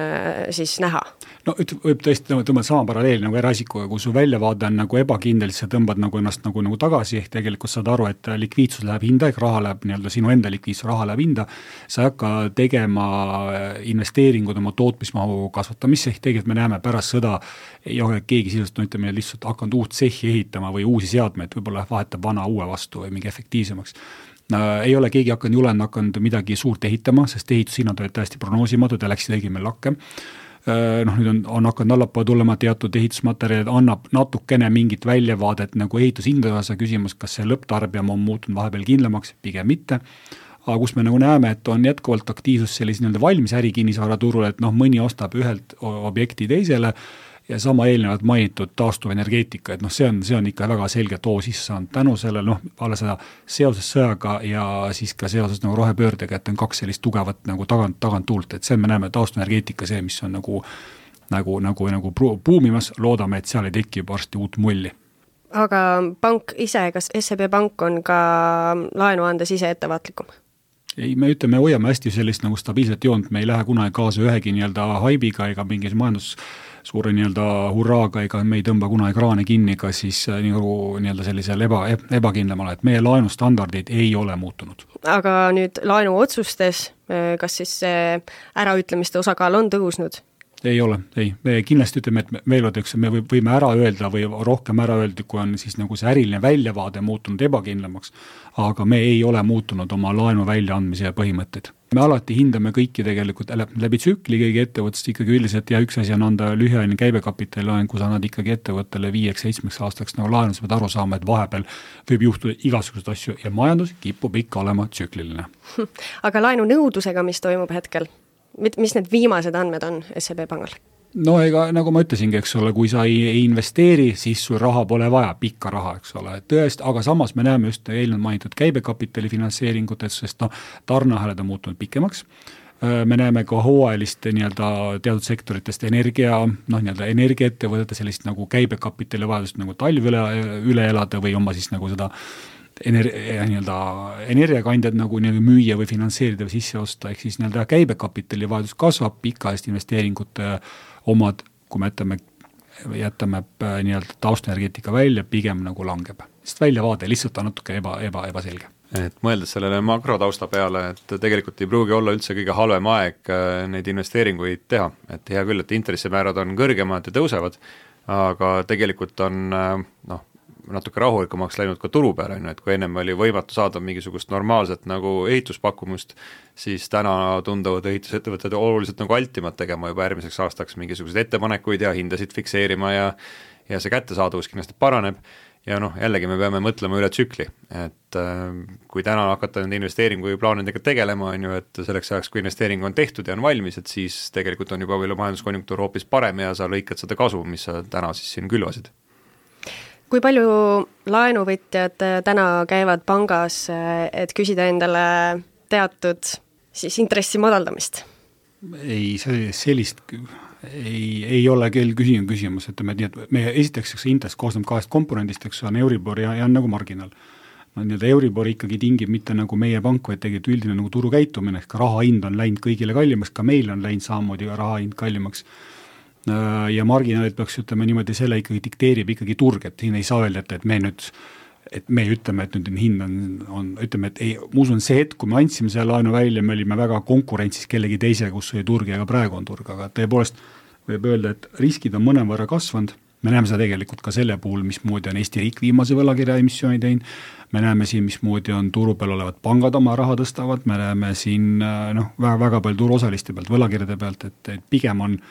siis näha? No võib tõesti tõmbada sama paralleel nagu eraisikuga, kui su väljavaade on nagu ebakindel, siis sa tõmbad nagu ennast nagu tagasi, ehk tegelikult saad aru, et likviidsus läheb hinda, ehk raha läheb nii-öelda sinu enda likviidsus, raha läheb hinda, sa ei hakka tegema investeeringud oma tootmismahu kasvatamisse, ehk tegelikult me näeme pärast sõda, ei ole keegi sisuliselt, ütleme, lihtsalt hakanud uut tsehhi ehitama või uusi seadmeid, võib-olla vahetab vana uue vastu või mingi efektiivsemaks. Ei ole keegi hakanud midagi suurt ehitama, sest ehitushinnad olid täiesti prognoosimatud ja läksid õigel meil lakke. Nüüd on hakanud allapoole tulema teatud ehitusmaterjalid, annab natukene mingit väljavaadet nagu ehitushindadega küsimus, kas see lõpptarbija on muutunud vahepeal kindlamaks, pigem mitte. Aga kus me nagu näeme, et on jätkuvalt aktiivsus sellise nii-öelda valmis ärikinnisvara turul, et mõni ostab ühelt objekti teisele ja sama eelnevalt mainitud taastuvenergeetika, et see on ikka väga selge too sisse saanud tänu sellele, alla seda seoses sõjaga ja siis ka seoses nagu rohepöördega, et on 2 sellist tugevat nagu tagant tuult, et see me näeme taastuvenergeetika see, mis on nagu puumimas, loodame, et seal ei teki juba varsti uut mulli. Aga pank ise, kas SEB Pank on ka laenu andes ise ettevaatlikum? Ei, me hoiame hästi sellist nagu stabiilset joont, me ei lähe kunagi kaasa ühegi nii-öelda haibiga ega mingis suure nii-öelda hurraaga, ega me ei tõmba kunagi kraane kinni ka siis nii-öelda sellisel ebakindlamale, et meie laenustandardid ei ole muutunud. Aga nüüd laenuotsustes, kas siis äraütlemiste osakaal on tõusnud? Ei ole, ei. Me kindlasti ütleme, et me võime ära öelda või rohkem ära öelda, kui on siis nagu see äriline väljavaade muutunud ebakindlamaks, aga me ei ole muutunud oma laenu väljaandmise põhimõtteid. Me alati hindame kõiki tegelikult läbi tsükli kõigi ettevõttest ikkagi üldiselt ja üks asi on anda lühiajaline käibekapitali laen, kus annad ikkagi ettevõttele 5-7 aastaks nagu laenu, sa pead aru saama, et vahepeal võib juhtuda igasuguseid asju ja majandus kipub ikka olema tsükliline. Aga laenu nõudlusega, mis toimub hetkel? Mis need viimased andmed on SEB pangal? No ega nagu ma ütlesingi, eks ole, kui sa ei investeeri, siis sul raha pole vaja, pikka raha, eks ole, tõest, aga samas me näeme just eelnevalt mainitud käibekapitali finantseeringutes, sest tarneahelad on muutunud pikemaks. Me näeme ka hooajaliste nii-öelda teatud sektoritest energiaettevõtete sellist nagu käibekapitali vajadust nagu talv üle elada või oma siis nagu seda energiakandjad nagu müüa või finantseerida või sisse osta, ehk siis nii-öelda käibekapitali vajadus kasvab, pikaajaliste investeeringute omad, kui me jätame nii-öelda taustaenergeetika välja, pigem nagu langeb. Sest väljavaade lihtsalt on natuke ebaselge. Et mõeldes sellele makrotausta peale, et tegelikult ei pruugi olla üldse kõige halvem aeg neid investeeringuid teha. Et hea küll, et intressimäärad on kõrgemad ja tõusevad, aga tegelikult on natuke rahulikumaks läinud ka turu peale, et kui ennem oli võimatu saada mingisugust normaalset nagu ehituspakkumust, siis täna tunduvad ehitusettevõtted oluliselt nagu altimad tegema juba järgmiseks aastaks mingisuguseid ettepanekuid ja hindasid fikseerima ja see kättesaadavus kindlasti paraneb ja jällegi me peame mõtlema üle tsükli, et kui täna hakata nende investeeringuplaanidega tegelema, on ju, et selleks ajaks, kui investeering on tehtud ja on valmis, et siis tegelikult on juba majanduskonjunktuur hoopis parem ja sa lõikad seda kasu, mis sa täna siis siin külvasid. Kui palju laenuvõtjad täna käivad pangas, et küsida endale teatud siis intressi madaldamist? Ei, sellist ei ole küll küsimus, et me esiteks intress koosneb 2 komponendist, eks on Euribor ja on nagu marginaal. Euribor ikkagi tingib mitte nagu meie pank, vaid tegelikult üldine nagu turu käitumine, ka raha hind on läinud kõigile kallimaks, ka meil on läinud samamoodi raha hind kallimaks. Ja marginaalid peaks ütlema niimoodi, selle ikkagi dikteerib ikkagi turg, et siin ei saa öelda, et me ütleme, et nüüd hind on ütleme, et ei, muusun see hetk, kui me andsime selle laenu välja, me olime väga konkurentsis kellegi teise, kus oli turg ja ka praegu on turg, aga tõepoolest võib öelda, et riskid on mõnevõrra kasvanud, me näeme seda tegelikult ka selle puhul, mismoodi on Eesti riik viimase võlakirja emissiooni teinud, me näeme siin, mismoodi on turu peal olevad pangad oma raha tõstavad, me näeme siin väga palju turuosaliste pealt, võlakirjade pealt, et pigem on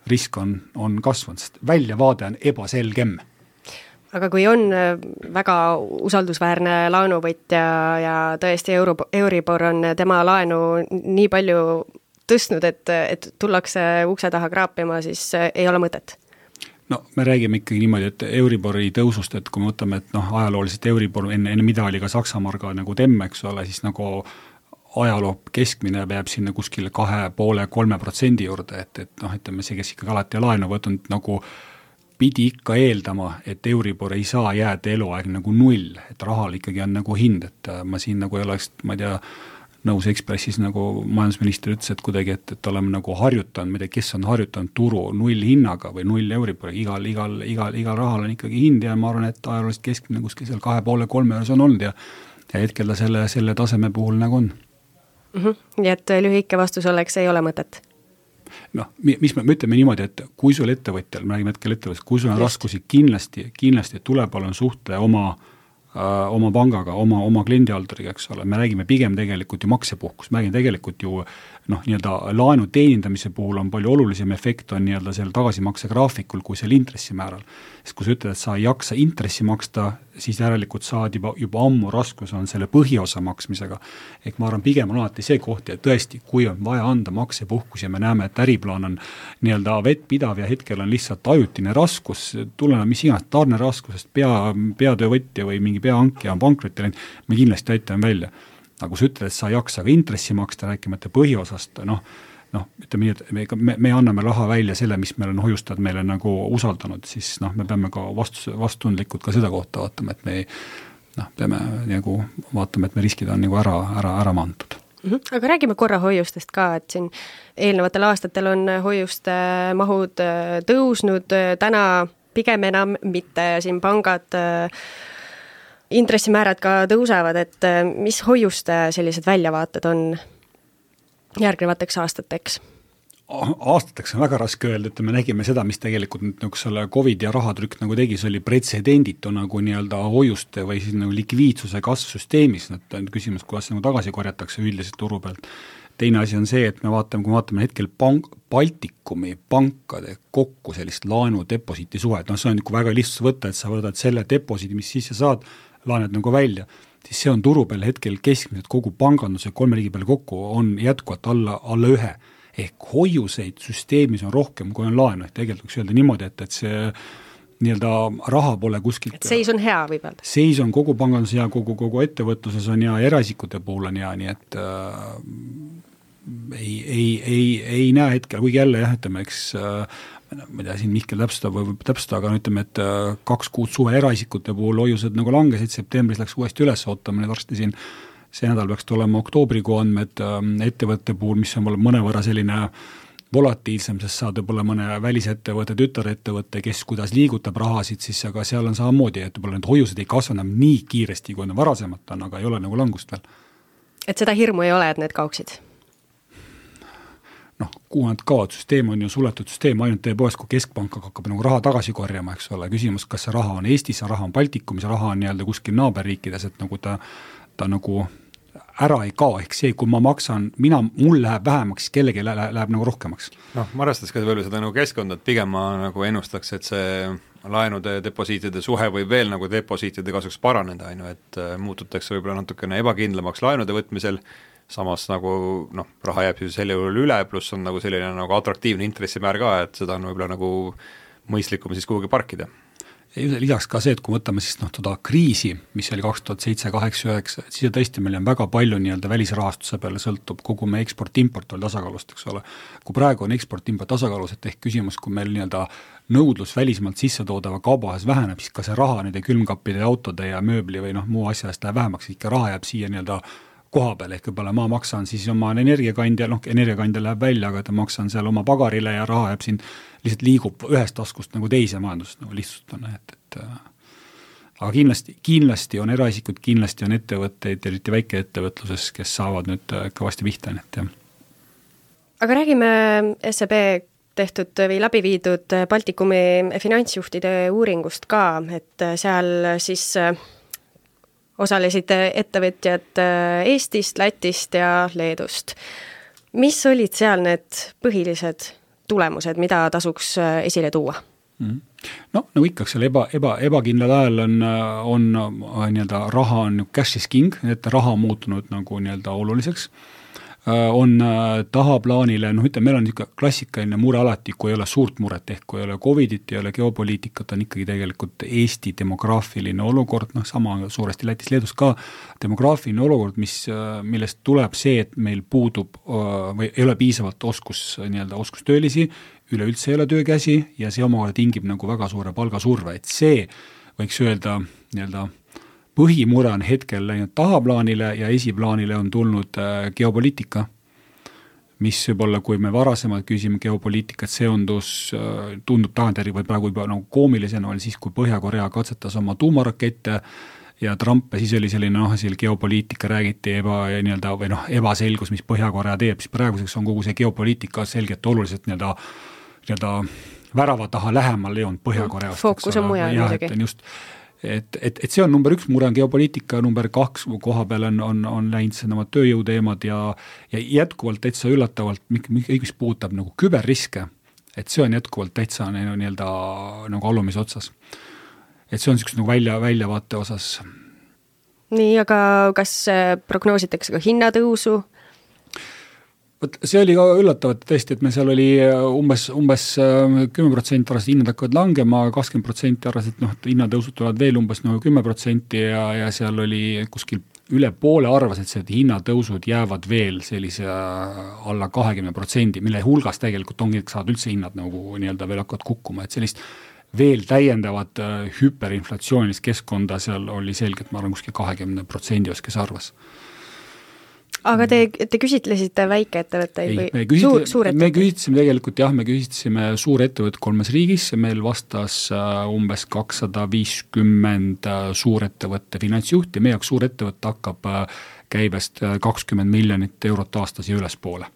risk on kasvanud, sest väljavaade on ebaselgem. Aga kui on väga usaldusväärne laenuvõtja ja tõesti Euribor on tema laenu nii palju tõstnud, et tullakse ukse taha kraapima, siis ei ole mõtet? No me räägime ikkagi niimoodi, et Euribori tõusust, et kui me võtame, et ajalooliselt Euribor enne mida oli ka Saksamarga nagu temm, eks ole, siis nagu ajaloo keskmine peab sinna kuskile 2,5-3% juurde, et ütleme see, kes ikkagi alati laenu võtnud nagu pidi ikka eeldama, et Euribor ei saa jääda eluaeg nagu 0, et rahal ikkagi on nagu hind, et ma siin nagu ei oleks, ma ei tea, nõus Ekspressis nagu majandusminister ütles, et kuidagi, et oleme nagu harjutanud, ma ei tea, kes on harjutanud turu 0 hinnaga või 0 Euribori, igal rahal on ikkagi hind ja ma arvan, et ajalooliselt keskmine kuskil seal 2,5-3 juures on olnud ja hetkel ta selle taseme puhul nagu on. Nii et lühike vastus oleks, ei ole mõtet? Mis me ütleme niimoodi, et kui sul ettevõtjal, me räägime hetkel ettevõtjal, kui sul on raskusi, kindlasti tuleb olla suhtle oma pangaga, oma kliendihalduriga, eks ole, me räägime pigem tegelikult ju maksepuhkus, me räägime tegelikult ju nii-öelda laenu teenindamise puhul on palju olulisem efekt on nii-öelda seal tagasimakse graafikul kui seal intressimääral. Sest kui sa ütled, et sa ei jaksa intressi maksta, siis järelikult saad juba ammu raskus on selle põhiosa maksmisega. Ehk ma arvan, pigem on alati see koht ja tõesti, kui on vaja anda maksepuhkus ja me näeme, et äriplaan on nii-öelda vettpidav ja hetkel on lihtsalt ajutine raskus, tuleneb mis iganes tarne raskusest, peatöövõtja või mingi peahankija on pankrotti läinud, me kindlasti aitame välja. Aga kui sa ütled, et sa ei jaksa ka intressi maksta, rääkimata põhiosast, ütleme nii, et me anname raha välja selle, mis meil on hoiustajad meile nagu usaldanud, siis me peame ka vastundlikult ka seda kohta vaatama, et me peame nagu vaatama, et me riskid on nagu ära maantud. Aga räägime korra hoiustest ka, et siin eelnevatel aastatel on hoiuste mahud tõusnud, täna pigem enam mitte, siin pangad intressimäärad ka tõusevad, et mis hoiuste sellised väljavaated on järgnevateks aastateks? Aastateks on väga raske öelda, et me nägime seda, mis tegelikult nüüd selle COVID ja rahatrükk nagu tegi, see oli pretsedenditu nagu nii-öelda hoiuste või siis nagu likviidsuse kasv süsteemis, et on küsimus, kuidas nagu tagasi korjatakse üldiselt turu pealt. Teine asi on see, et kui me vaatame hetkel Baltikumi pankade kokku sellist laenu-deposiiti suhet, see on väga lihtsalt võtta, et sa võtad selle deposiidi, mis sisse saad, laened nagu välja, siis see on turu peal hetkel keskmiselt kogu panganduse 3 riigi peale kokku on jätkuvalt alla 1. Ehk hoiuseid süsteemis on rohkem, kui on laenu, tegelikult võiks öelda niimoodi, et see nii-öelda raha pole kuskilt. Et seis on hea võib öelda? Seis on kogu pangandus hea, kogu ettevõtluses on hea, eraisikute puhul on hea, nii et ei näe hetkel, kuigi jälle jah, ütleme, eks ma ei tea, siin Mihkel täpsustab, aga ütleme, et 2 kuud suve eraisikute puhul hoiused nagu langesid, septembris läks uuesti üles, ootame nüüd varsti siin see nädal peaks tulema oktoobrikuu andmed ettevõtte puhul, mis on mõnevõrra selline volatiilsem, sest saad võib-olla mõne välisettevõtte, tütarettevõtte, kes kuidas liigutab rahasid, siis aga seal on samamoodi, et võib-olla need hoiused ei kasva enam nii kiiresti, kui on varasemalt on, aga ei ole nagu langust veel. Et seda hirmu ei ole, et need kaoksid? Kuhu nad kaovad, süsteem on ju suletud süsteem, ainult tõepoolest, kui keskpank hakkab nagu raha tagasi korjama, eks ole, küsimus, kas see raha on Eestis, see raha on Baltikumis, see raha on nii-öelda kuskil naaberriikides, et nagu ta nagu ära ei kao, ehk see, kui ma maksan, mul läheb vähemaks, kellegi läheb nagu rohkemaks. Ma arvestaks ka võib-olla seda nagu keskkonda, et pigem ma nagu ennustaks, et see laenude, deposiitide suhe võib veel nagu deposiitide kasuks paraneda, et muututakse võib-olla natukene ebakindlamaks laenude võtmisel, samas nagu raha jääb siis selle juhul üle, pluss on nagu selline nagu atraktiivne intressimäär ka, et seda on võib-olla nagu mõistlikum siis kuhugi parkida. Lisaks ka see, et kui võtame siis toda kriisi, mis oli 2007, 8, 9, siis tõesti meil on väga palju nii-öelda välisrahastuse peale sõltub, kogu meie eksport-import oli tasakaalust, eks ole. Kui praegu on eksport-import tasakaalus, et ehk küsimus, kui meil nii-öelda nõudlus välismaalt sisse toodava kaubahas väheneb, siis ka see raha nende külmkappide, autode ja mööbli või muu asja eest läheb vähemaks, ikka raha jääb siia nii-öelda koha peal, ehk võib-olla ma maksan siis oma energiakandja, energiakandja läheb välja, aga ta maksan seal oma pagarile ja raha jääb siin, lihtsalt liigub ühest taskust nagu teise majandust, nagu lihtsalt on, et aga kindlasti on eraisikud, kindlasti on ettevõtteid, eriti väikeettevõtluses, kes saavad nüüd kõvasti pihta, et jah. Aga räägime SEB tehtud või läbi viidud Baltikumi finantsjuhtide uuringust ka, et seal siis osalesid ettevõtjad Eestist, Lätist ja Leedust. Mis olid seal need põhilised tulemused, mida tasuks esile tuua? Nagu ikka, seal ebakindlal ajal on nii-öelda raha on cash is king, et raha on muutunud nagu nii-öelda oluliseks. On tahaplaanile, ütleme, meil on niisugune klassikaline mure alati, kui ei ole suurt muret, ehk kui ei ole Covidit, ei ole geopoliitikat, on ikkagi tegelikult Eesti demograafiline olukord, sama suuresti Lätis, Leedus ka, demograafiline olukord, millest tuleb see, et meil puudub või ei ole piisavalt oskustöölisi, üleüldse ei ole töökäsi ja see omakorda tingib nagu väga suure palgasurve, et see võiks öelda nii-öelda põhimure on hetkel läinud tahaplaanile ja esiplaanile on tulnud geopoliitika, mis võib-olla, kui me varasemalt küsime geopoliitikat, tundub tagantjärgi või praegu juba nagu koomilisena oli siis, kui Põhja-Korea katsetas oma tuumarakette ja Trump ja siis oli selline geopoliitika räägiti ebaselgus, mis Põhja-Korea teeb, siis praeguseks on kogu see geopoliitika selgelt oluliselt nii-öelda värava taha lähemal jõudnud Põhja-Koreast. Fookus on mujal muidugi. Et see on number 1 mure on geopoliitika, number 2 koha peal on läinud see nemad tööjõuteemad ja jätkuvalt täitsa üllatavalt, mis puudutab nagu küberriske, et see on jätkuvalt täitsa nii-öelda nagu alumise otsas. Et see on niisugust nagu väljavaate osas. Nii, aga kas prognoositakse ka hinnatõusu? See oli ka üllatav, et tõesti, et me seal oli umbes 10% arvas, et hinnad hakkavad langema, 20% arvas, et hinnatõusud tulevad veel umbes 10% ja seal oli kuskil üle poole arvas, et see hinnatõusud jäävad veel sellise alla 20%, mille hulgas tegelikult ongi, et saad üldse hinnad nagu nii-öelda veel hakkavad kukkuma, et sellist veel täiendavat hüperinflatsioonilist keskkonda seal oli selgelt, ma arvan, kuskil 20% kes arvas. aga te küsitlesite väikeettevõtteid või suurettevõtteid? Me küsitlesime tegelikult me küsitlesime suurettevõtted 3 riigis, meil vastas umbes 250 suurettevõtte finantsjuhti, meie jaoks suurettevõtte hakkab käibest 20 miljonit eurot aastas ja ülespoole.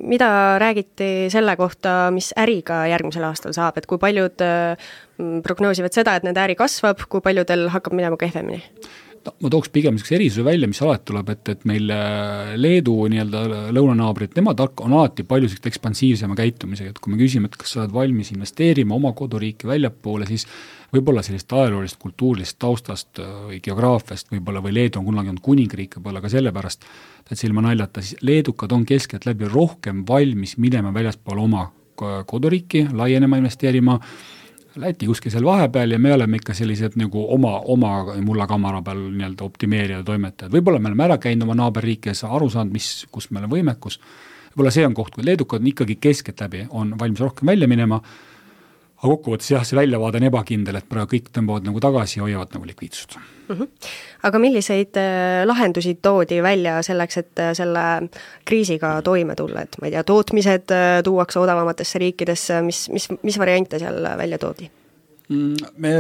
Mida räägiti selle kohta, mis äriga järgmisel aastal saab, et kui paljud prognoosivad seda, et nende äri kasvab, kui paljudel hakkab minema kehvemini? Ma tooks pigem erisuse välja, mis alati tuleb, et meil Leedu nii-öelda lõunanaabrid, nemad on alati palju ekspansiivsema käitumisega, et kui me küsime, et kas sa oled valmis investeerima oma koduriiki väljapoole, siis võib-olla sellist ajaloolist, kultuurilist taustast või geograafiast võib-olla või Leedu on kunagi olnud kuningriik, võib-olla ka sellepärast, et see ilma naljata, siis leedukad on keskelt läbi rohkem valmis minema väljaspool oma koduriiki, laienema, investeerima, Läti kuskil seal vahepeal ja me oleme ikka sellised nagu oma mullakamara peal nii-öelda optimeerida toimetajad. Võib-olla me oleme ära käinud oma naaberriikes aru saanud, kus meil on võimekus. Võib-olla see on koht, kui leedukad on ikkagi keskelt läbi, on valmis rohkem välja minema, aga kokkuvõttes see väljavaade on ebakindel, et praegu kõik tõmbavad nagu tagasi ja hoiavad nagu likviidsust. Aga milliseid lahendusi toodi välja selleks, et selle kriisiga toime tulla, et ma ei tea, tootmised tuuakse odavamatesse riikidesse, mis variante seal välja toodi? Me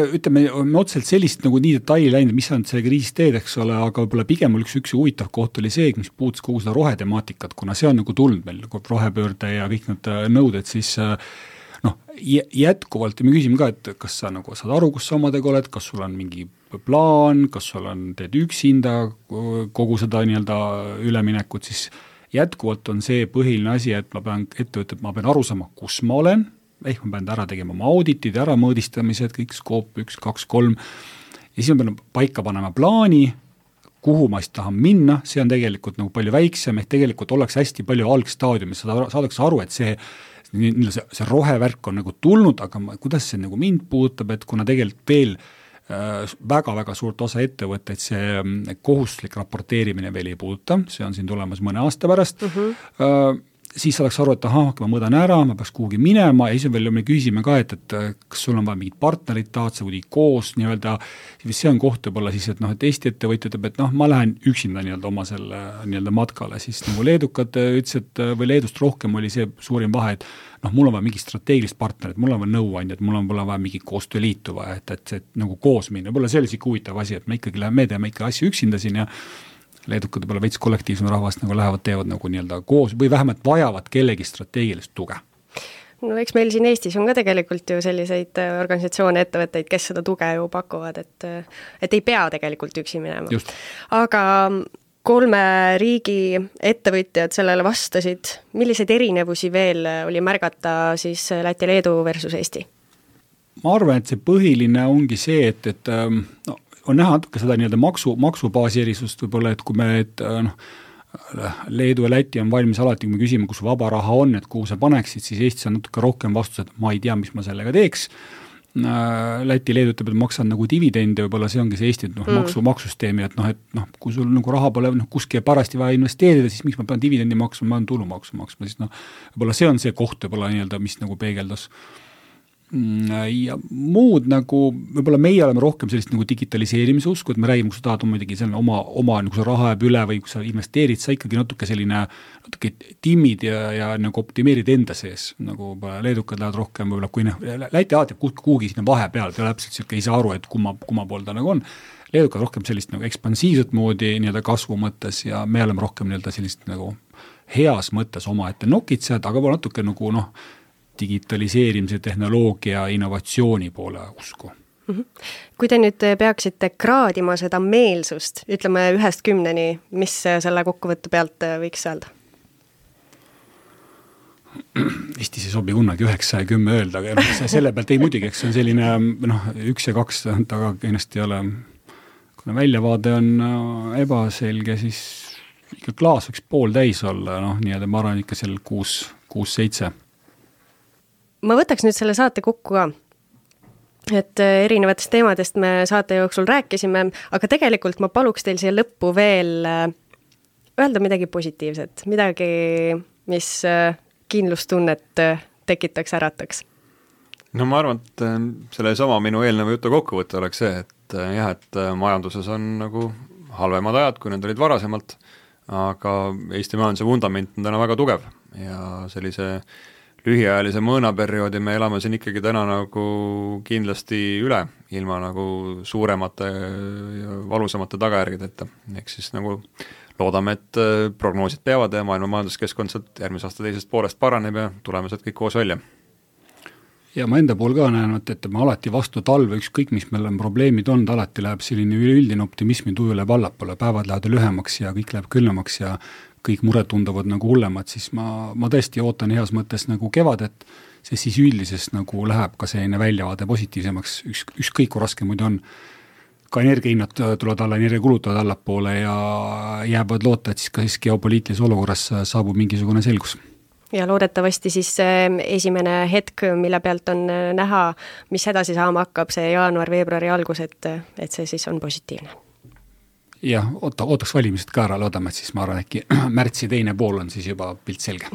otseselt sellist nagu nii detaili läinud, mis on selle kriisis teed, eks ole, aga võib-olla pigem üks huvitav koht oli see, mis puutus kogu seda rohetemaatikat, kuna see on nagu tulnud meil rohepöörde ja kõik need nõuded, siis jätkuvalt ja me küsime ka, et kas sa nagu saad aru, kus sa omadega oled, kas sul on mingi plaan, kas sul teed üksinda kogu seda nii-öelda üleminekut, siis jätkuvalt on see põhiline asi, et ma pean aru saama, kus ma olen, ehk ma pean ära tegema oma auditid, ära mõõdistamised, kõik skoop 1, 2, 3 ja siis ma pean paika panema plaani, kuhu ma siis tahan minna, see on tegelikult nagu palju väiksem, ehk tegelikult oleks hästi palju algstaadiumis, saadakse aru, et see rohevärk on nagu tulnud, aga kuidas see nagu mind puudutab, et kuna tegelikult veel väga-väga suurt osa ettevõtteid see kohustuslik raporteerimine veel ei puuduta, see on siin tulemas mõne aasta pärast, siis saadaks aru, et ma mõõdan ära, ma peaks kuhugi minema ja siis veel me küsime ka, et kas sul on vaja mingid partnerid, tahad sa kuidagi koos nii-öelda, see on koht võib-olla siis, et Eesti ettevõtja ütleb, et ma lähen üksinda nii-öelda oma selle nii-öelda matkale, siis nagu leedukad ütlesid, või Leedust rohkem oli see suurim vahe, et mul on vaja mingi strateegilist partnerit, mul on vaja nõuandjad, mul on vaja mingi koostööliitu vaja, et nagu koos minna, võib-olla see oli siuke huvitav asi, et me teeme ikka asju üksinda siin ja leedukad võib-olla veits kollektiivsem rahvast nagu lähevad, teevad nagu nii-öelda koos või vähemalt vajavad kellegi strateegilist tuge. No eks meil siin Eestis on ka tegelikult ju selliseid organisatsioone, ettevõtteid, kes seda tuge ju pakuvad, et ei pea tegelikult üksi minema. Just. Aga 3 riigi ettevõtjad sellele vastasid, milliseid erinevusi veel oli märgata siis Läti, Leedu versus Eesti? Ma arvan, et see põhiline ongi see, et on näha natuke seda nii-öelda maksubaasi erisust võib-olla, et kui me Leedu ja Läti on valmis alati, kui me küsime, kus vaba raha on, et kuhu sa paneksid, siis Eestis on natuke rohkem vastus, et ma ei tea, mis ma sellega teeks. Läti, Leedu ütleb, et maksan nagu dividende, võib-olla see ongi see Eesti maksusüsteemi, et kui sul nagu raha pole kuskil parasti vaja investeerida, siis miks ma pean dividendi maksma, ma pean tulumaksu maksma, siis võib-olla see on see koht võib-olla nii-öelda, mis nagu peegeldas. Ja muud nagu, võib-olla meie oleme rohkem sellist nagu digitaliseerimise usku, et me räägime, kui sa tahad muidugi oma nagu sa raha jääb üle või kui sa investeerid, sa ikkagi natuke timmid ja nagu optimeerid enda sees, nagu leedukad lähevad rohkem võib-olla, kui Läti alati kuhugi sinna vahepeal, ta täpselt siuke ei saa aru, et kumma pool ta nagu on. Leedukad rohkem sellist nagu ekspansiivset moodi nii-öelda kasvu mõttes ja me oleme rohkem nii-öelda sellist nagu heas mõttes oma ette nokitsejad, aga natuke nagu digitaliseerimise, tehnoloogia, innovatsiooni poole usku. Kui te nüüd peaksite kraadima seda meelsust, ütleme 1-10, mis selle kokkuvõtte pealt võiks öelda? Eestis ei sobi kunagi 9 ja 10 öelda, aga selle pealt ei muidugi, eks see on selline 1 ja 2, aga ennast ei ole, kuna väljavaade on ebaselge, siis ikka klaas võiks pool täis olla, nii-öelda ma arvan ikka seal 6-7. Ma võtaks nüüd selle saate kokku ka, et erinevatest teemadest me saate jooksul rääkisime, aga tegelikult ma paluks teil siia lõppu veel öelda midagi positiivset, midagi, mis kindlustunnet tekitaks, ärataks. No ma arvan, et selle sama minu eelneva jutu kokkuvõte oleks see, et majanduses on nagu halvemad ajad, kui need olid varasemalt, aga Eesti majanduse vundament on täna väga tugev ja sellise lühiajalise mõõnaperioodi me elame siin ikkagi täna nagu kindlasti üle, ilma nagu suuremate ja valusamate tagajärgedeta. Ehk siis nagu loodame, et prognoosid peavad ja maailma majanduskeskkond sealt järgmise aasta teisest poolest paraneb ja tuleme sealt kõik koos välja. Ja ma enda pool ka näen, et ma alati vastu talve, ükskõik mis meil on probleemid olnud, alati läheb selline üleüldine optimismi tuju läheb allapoole, päevad lähevad lühemaks ja kõik läheb külmemaks ja kõik mured tunduvad nagu hullemad, siis ma tõesti ootan heas mõttes nagu kevadet, sest siis üldises nagu läheb ka selline väljavaade positiivsemaks, ükskõik kui raske muidu on. Ka energiahinnad tulevad alla, energiakulud tulevad allapoole ja jäävad loota, et siis ka siis geopoliitilises olukorras saabub mingisugune selgus. Ja loodetavasti siis esimene hetk, mille pealt on näha, mis edasi saama hakkab, see jaanuar-veebruari algus, et see siis on positiivne. Jah, ootaks valimised ka ära, loodame, et siis ma arvan, äkki märtsi teine pool on siis juba pilt selge.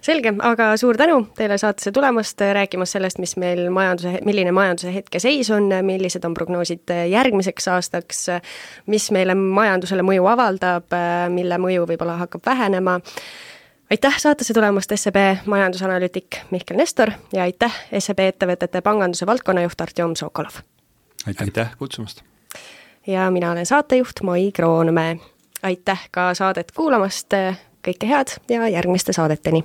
Selge, aga suur tänu teile saatesse tulemast, rääkimas sellest, milline majanduse hetke seis on, millised on prognoosid järgmiseks aastaks, mis meile majandusele mõju avaldab, mille mõju võib-olla hakkab vähenema. Aitäh saatesse tulemast SEB majandusanalüütik Mihkel Nestor ja aitäh SEB ettevõtete panganduse valdkonnajuht Artjom Sokolov. Aitäh kutsumast! Ja mina olen saatejuht Mai Kroonmäe. Aitäh ka saadet kuulamast, kõike head ja järgmiste saadeteni!